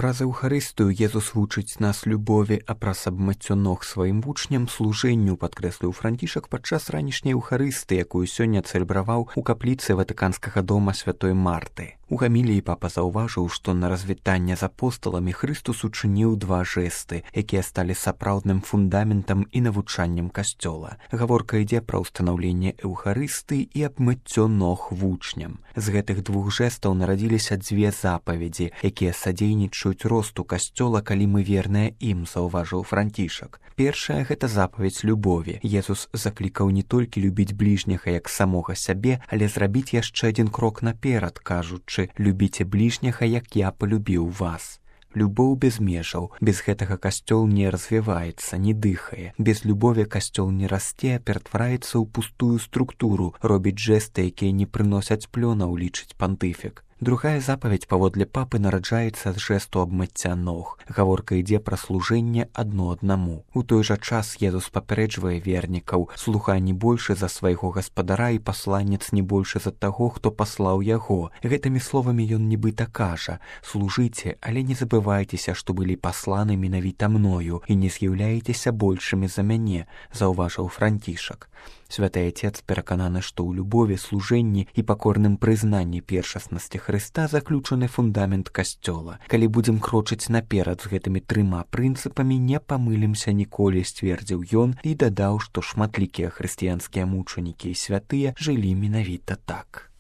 Праз Еўхарыстыю Езус вучыць нас любові, а праз абмыццё ног сваім вучням служэнню, падкрэсліў Францішак падчас ранішняй Еўхарысты, якую сёння цэлебраваў у капліцы Ватыканскага дома святой Марты. У гаміліі папа заўважыў, што на развітанне з апосталамі Хрыстус учыніў два жэсты, якія сталі сапраўдным фундаментам і навучаннем касцёла. Гаворка ідзе пра ўстанаўленне Еўхарысты і абмыццё ног вучням. З гэтых двух жэстаў нарадзіліся дзве запаведзі, якія садзейнічаюць росту касцёла, калі мы верныя ім, заўважыў Францішак. Першая — гэта запаведь любові. Езус заклікаў не толькі любіць бліжняга як самога сябе, але зрабіць яшчэ адзін крок наперад, кажучы: «Любіце бліжняга, як я полюбіў вас». Любоў без межаў. Без гэтага касцёл не развіваецца, не дыхае. Без любові касцёл не расце, а ператвараецца ў пустую структуру, робіць жэсты, якія не прыносяць плёнаў, лічыць пантыфік. Другая запаведь паводле папы нараджаецца з жэсту абмыцця ног. Гаворка ідзе пра служэнне адно аднаму. У той жа час Езус папярэджвае вернікаў: слуга не большы за свайго гаспадара і пасланец не большы за таго, хто паслаў яго. Гэтымі словамі ён нібыта кажа: служыце, але не забывайцеся, што былі пасланы менавіта мною, і не з'яўляецеся большымі за мяне, заўважыў Францішак. Святы Отец перакананы, што ў любові, служэнні і пакорным прызнанні першаснасці Хрыста заключаны фундамент касцёла. Калі будзем крочыць наперад з гэтымі трыма прынцыпамі, не памылімся ніколі, сцвердзіў ён і дадаў, што шматлікія хрысціянскія мучанікі і святыя жылі менавіта так.